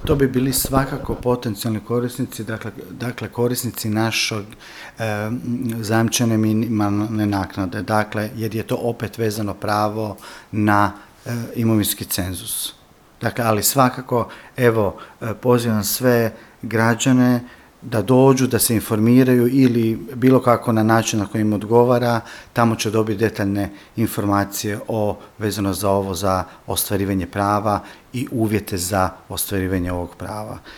To bi bili svakako potencijalni korisnici, dakle korisnici našeg zajamčene minimalne naknade, dakle jer je to opet vezano pravo na imovinski cenzus. Dakle, ali svakako, evo, pozivam sve građane da dođu, da se informiraju ili bilo kako na način na koji im odgovara, tamo će dobiti detaljne informacije vezano za ovo, za ostvarivanje prava i uvjete za ostvarivanje ovog prava.